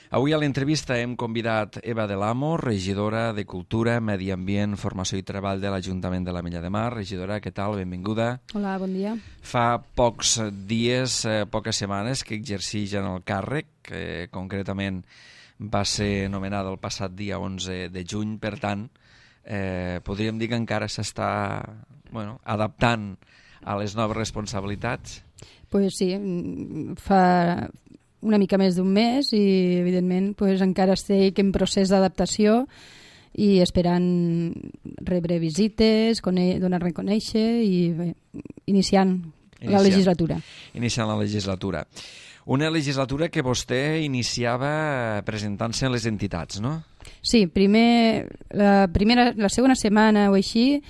Avui a l'entrevista hem convidat Eva Del Amo, regidora de Cultura, Medi Ambient, Formació i Treball de l'Ajuntament de l'Ametlla de Mar. Regidora, què tal? Benvinguda. Hola, bon dia. Fa pocs dies, poques setmanes, que exercix en el càrrec, que concretament va ser nomenada el passat dia 11 de juny, per tant, podríem dir que encara s'està adaptant a les noves responsabilitats? Pues sí, fa una mica més d'un mes i, evidentment, encara estic en procés d'adaptació i esperant rebre visites, donar-me a conèixer i bé, iniciant la legislatura. Iniciant la legislatura. Una legislatura que vostè iniciava presentant-se a les entitats, no? Sí, la segona setmana o així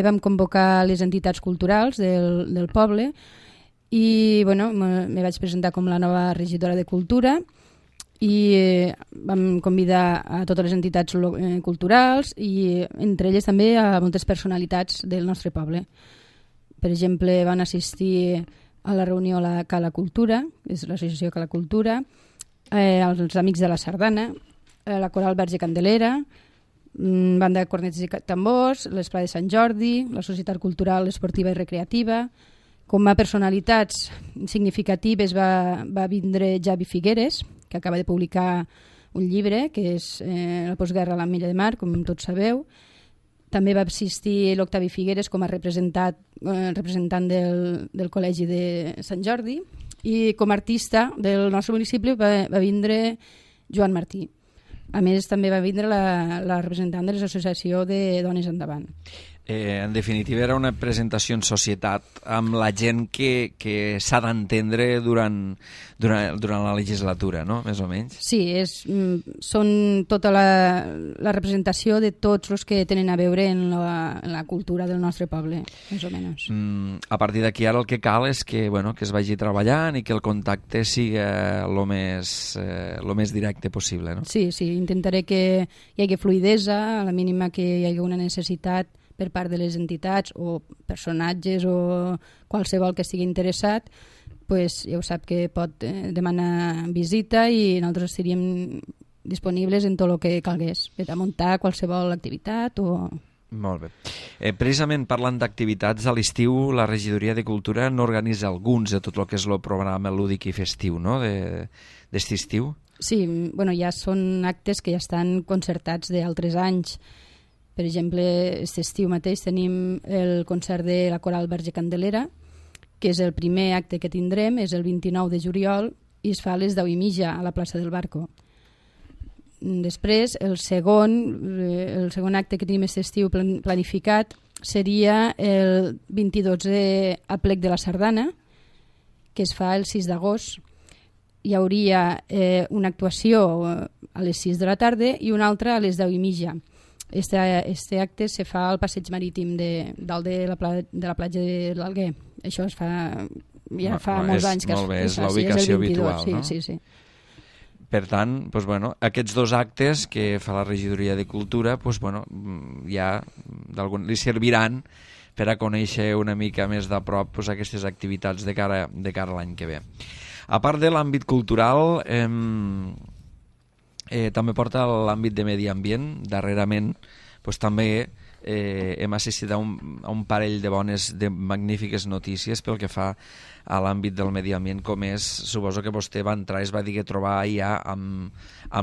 vam convocar les entitats culturals del poble i me vaig presentar com la nova regidora de Cultura i vam convidar a totes les entitats culturals i entre elles també a moltes personalitats del nostre poble. Per exemple, van assistir a la reunió a la Cala Cultura, és l'associació Cala Cultura, els Amics de la Sardana, la Coral Verge Candelera, Banda de Cornets i Tambors, l'Esplà de Sant Jordi, la Societat Cultural Esportiva i Recreativa. Com a personalitats significatives va vindre Javi Figueres, que acaba de publicar un llibre, que és La postguerra a l'Ametlla de Mar, com tots sabeu. També va assistir l'Octavi Figueres com a representant del Col·legi de Sant Jordi i com a artista del nostre municipi va vindre Joan Martí. A més, també va vindre la representant de l'associació de Dones Endavant. En definitiva, era una presentació en societat amb la gent que s'ha d'entendre durant la legislatura, no? Més o menys. Sí, són tota la representació de tots els que tenen a veure en la cultura del nostre poble, més o menys. A partir d'aquí ara el que cal és que es vagi treballant i que el contacte sigui el més directe possible, no? Sí, intentaré que hi hagi fluïdesa, a la mínima que hi hagi una necessitat per part de les entitats o personatges o qualsevol que estigui interessat, ja ho sap que pot demanar visita i nosaltres seríem disponibles en tot el que calgués, per a muntar qualsevol activitat o... Molt bé. Precisament parlant d'activitats, a l'estiu la regidoria de Cultura n'organitza alguns de tot el que és el programa lúdic i festiu, no?, d'este estiu. Sí, ja són actes que ja estan concertats d'altres anys. Per exemple, aquest estiu mateix tenim el concert de la Coral Verge Candelera, que és el primer acte que tindrem, és el 29 de juliol i es fa a les 10:30 a la plaça del Barco. Després, el segon acte que tenim aquest estiu planificat seria el 22è Aplec de la Sardana, que es fa el 6 d'agost. Hi hauria una actuació a les 6 de la tarda i una altra a les 10:30. Este acte se fa al passeig marítim dalt de la platja de l'Alguer. Això es fa molts anys que molt bé, és la ubicació habitual, sí, no? Sí. Per tant, aquests dos actes que fa la regidoria de Cultura ja li serviran per a conèixer una mica més de prop aquestes activitats de cara a l'any que ve. A part de l'àmbit cultural, també porta l'àmbit de medi ambient. Darrerament també hem assistit a un parell de magnífiques notícies pel que fa a l'àmbit del medi ambient, com és, suposo que vostè va entrar i es va dir que trobava ja amb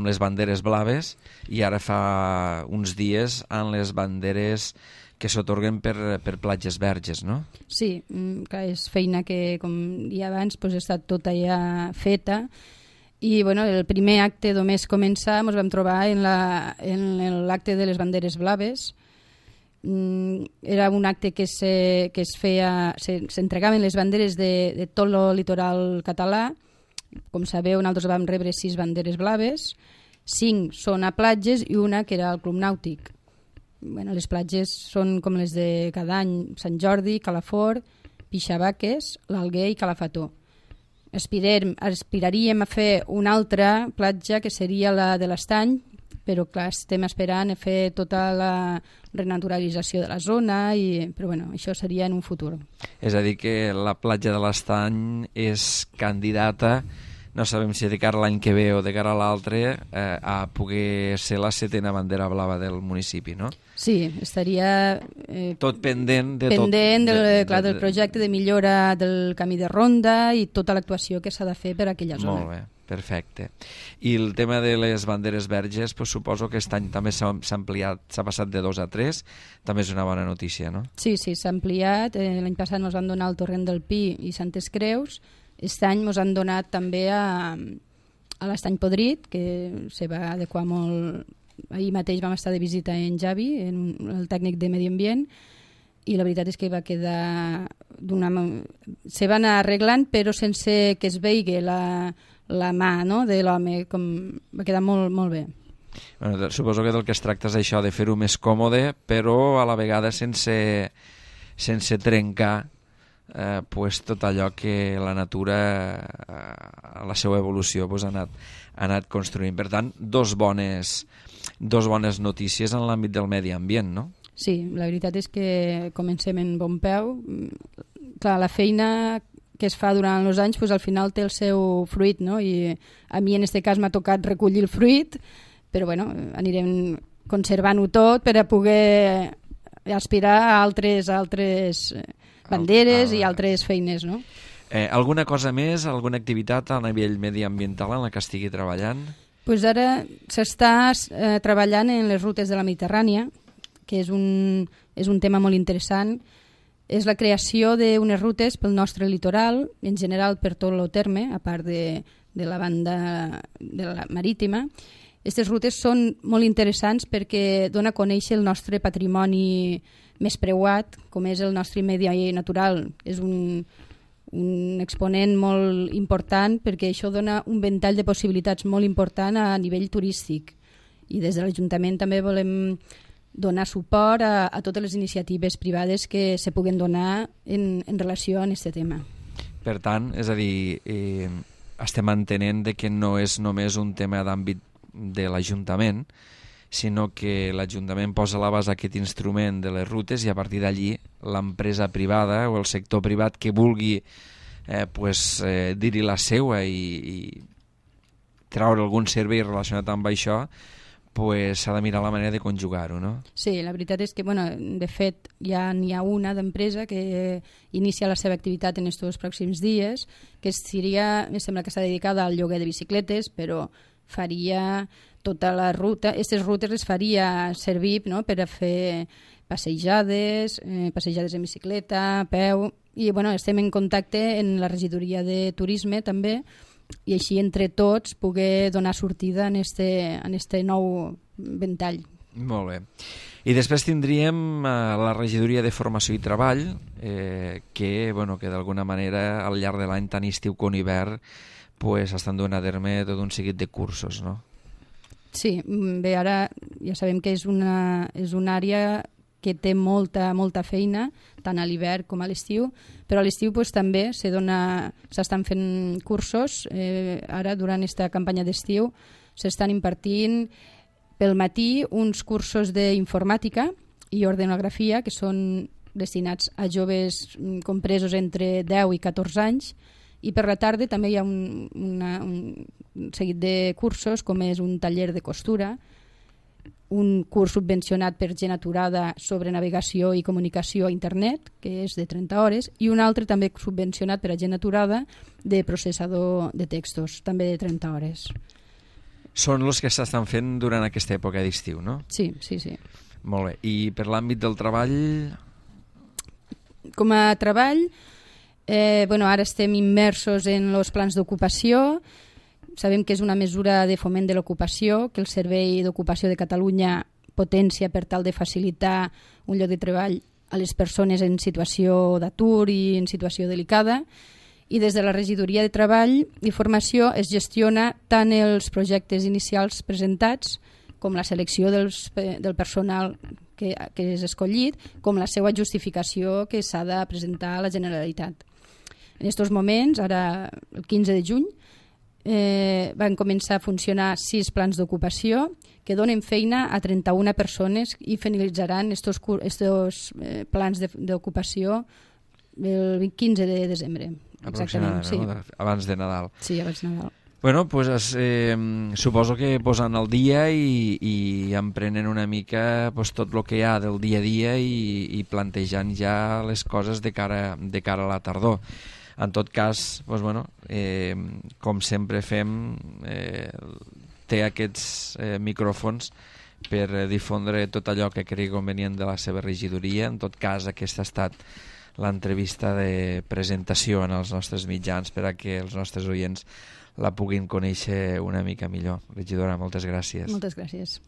les banderes blaves i ara fa uns dies amb les banderes que s'atorguen per platges verges, no? Sí, clar, és feina que, com dia abans, ha estat tota ja feta. I el primer acte només començar ens vam trobar en l'acte de les banderes blaves. Era un acte que es feia, s'entregaven les banderes de tot el litoral català. Com sabeu, nosaltres vam rebre 6 banderes blaves, 5 són a platges i una que era al Club Nàutic. Les platges són com les de cada any: Sant Jordi, Calafort, Pixavaques, l'Alguer i Calafató. Aspiraríem a fer una altra platja que seria la de l'Estany, però clar, estem esperant a fer tota la renaturalització de la zona, però això seria en un futur. És a dir, que la platja de l'Estany és candidata no sabem si de cara a l'any que ve o de cara a l'altre a poder ser la 7a bandera blava del municipi, no? Sí, estaria tot pendent de pendent del projecte de millora del camí de ronda i tota l'actuació que s'ha de fer per a aquella zona. Molt bé, perfecte. I el tema de les banderes verges, pues, suposo que aquest any també s'ha ampliat, s'ha passat de 2 a 3, també és una bona notícia, no? Sí, s'ha ampliat. L'any passat ens van donar el Torrent del Pi i Santes Creus. Aquest any ens han donat també a l'Estany Podrit, que se va adequar molt. Ahir mateix vam estar de visita en Javi, el tècnic de Medi Ambient, i la veritat és que va quedar se van anar arreglant però sense que es veigui la mà, no?, de l'home, va quedar molt, molt bé. Bueno, suposo que del que es tracta és això, de fer-ho més còmode, però a la vegada sense trencar pues, tot allò que la natura a la seva evolució pues, ha anat construint. Per tant, dos bones notícies en l'àmbit del medi ambient, no? Sí, la veritat és que comencem en bon peu. Clar, la feina que es fa durant els anys pues, al final té el seu fruit, no? I a mi en aquest cas m'ha tocat recollir el fruit, però bueno, anirem conservant-ho tot per a poder aspirar a altres banderes i altres feines, no? Alguna cosa més, alguna activitat a nivell mediambiental en la que estigui treballant? Pues ara s'està treballant en les rutes de la Mediterrània, que és un tema molt interessant. És la creació d'unes rutes pel nostre litoral, en general per tot el terme, a part de la banda de la marítima. Aquestes rutes són molt interessants perquè dona a conèixer el nostre patrimoni més preuat, com és el nostre medi natural. És un exponent molt important perquè això dona un ventall de possibilitats molt important a nivell turístic. I des de l'Ajuntament també volem donar suport a totes les iniciatives privades que se puguen donar en relació amb aquest tema. Per tant, és a dir, estem entenent que no és només un tema d'àmbit de l'Ajuntament, sinó que l'Ajuntament posa a l'abast aquest instrument de les rutes i a partir d'allí l'empresa privada o el sector privat que vulgui dir-hi la seua i treure algun servei relacionat amb això, s'ha de mirar la manera de conjugar-ho, no? Sí, la veritat és que, de fet, ja n'hi ha una d'empresa que inicia la seva activitat en aquests pròxims dies, que em sembla que està dedicada al lloguer de bicicletes, però faria tota la ruta. Aquestes rutes les faria servir, no?, per a fer passejades en bicicleta, a peu, i estem en contacte en la regidoria de turisme també, i així entre tots poder donar sortida en este nou ventall. Molt bé. I després tindríem la regidoria de formació i treball que d'alguna manera al llarg de l'any, tant estiu com hivern, estan donant a terme tot un seguit de cursos, no? Sí, bé, ara ja sabem que és una àrea que té molta feina, tant a l'hivern com a l'estiu, però a l'estiu també s'estan fent cursos. Ara, durant aquesta campanya d'estiu, s'estan impartint pel matí uns cursos d'informàtica i ordenografia que són destinats a joves compresos entre 10 i 14 anys, i per la tarda també hi ha un seguit de cursos, com és un taller de costura, un curs subvencionat per Gent Aturada sobre navegació i comunicació a internet, que és de 30 hores, i un altre també subvencionat per a Gent Aturada de processador de textos, també de 30 hores. Són els que s'estan fent durant aquesta època d'estiu, no? Sí. Molt bé. I per l'àmbit del treball? Com a treball, ara estem immersos en els plans d'ocupació. Sabem que és una mesura de foment de l'ocupació, que el Servei d'Ocupació de Catalunya potència per tal de facilitar un lloc de treball a les persones en situació d'atur i en situació delicada. I des de la Regidoria de Treball i Formació es gestiona tant els projectes inicials presentats com la selecció del personal que és escollit, com la seva justificació que s'ha de presentar a la Generalitat. En aquests moments, ara el 15 de juny, van començar a funcionar 6 plans d'ocupació que donen feina a 31 persones i finalitzaran estos plans d'ocupació el 15 de desembre. Aproximadament, sí. Abans de Nadal. Sí, abans de Nadal. Bueno, pues, suposo que posant al dia i emprenent una mica pues, tot el que hi ha del dia a dia i plantejant ja les coses de cara a la tardor. En tot cas, pues, bueno, com sempre fem, té aquests micròfons per difondre tot allò que cregui convenient de la seva regidoria. En tot cas, aquesta ha estat l'entrevista de presentació en els nostres mitjans per a que els nostres oients la puguin conèixer una mica millor. Regidora, moltes gràcies. Moltes gràcies.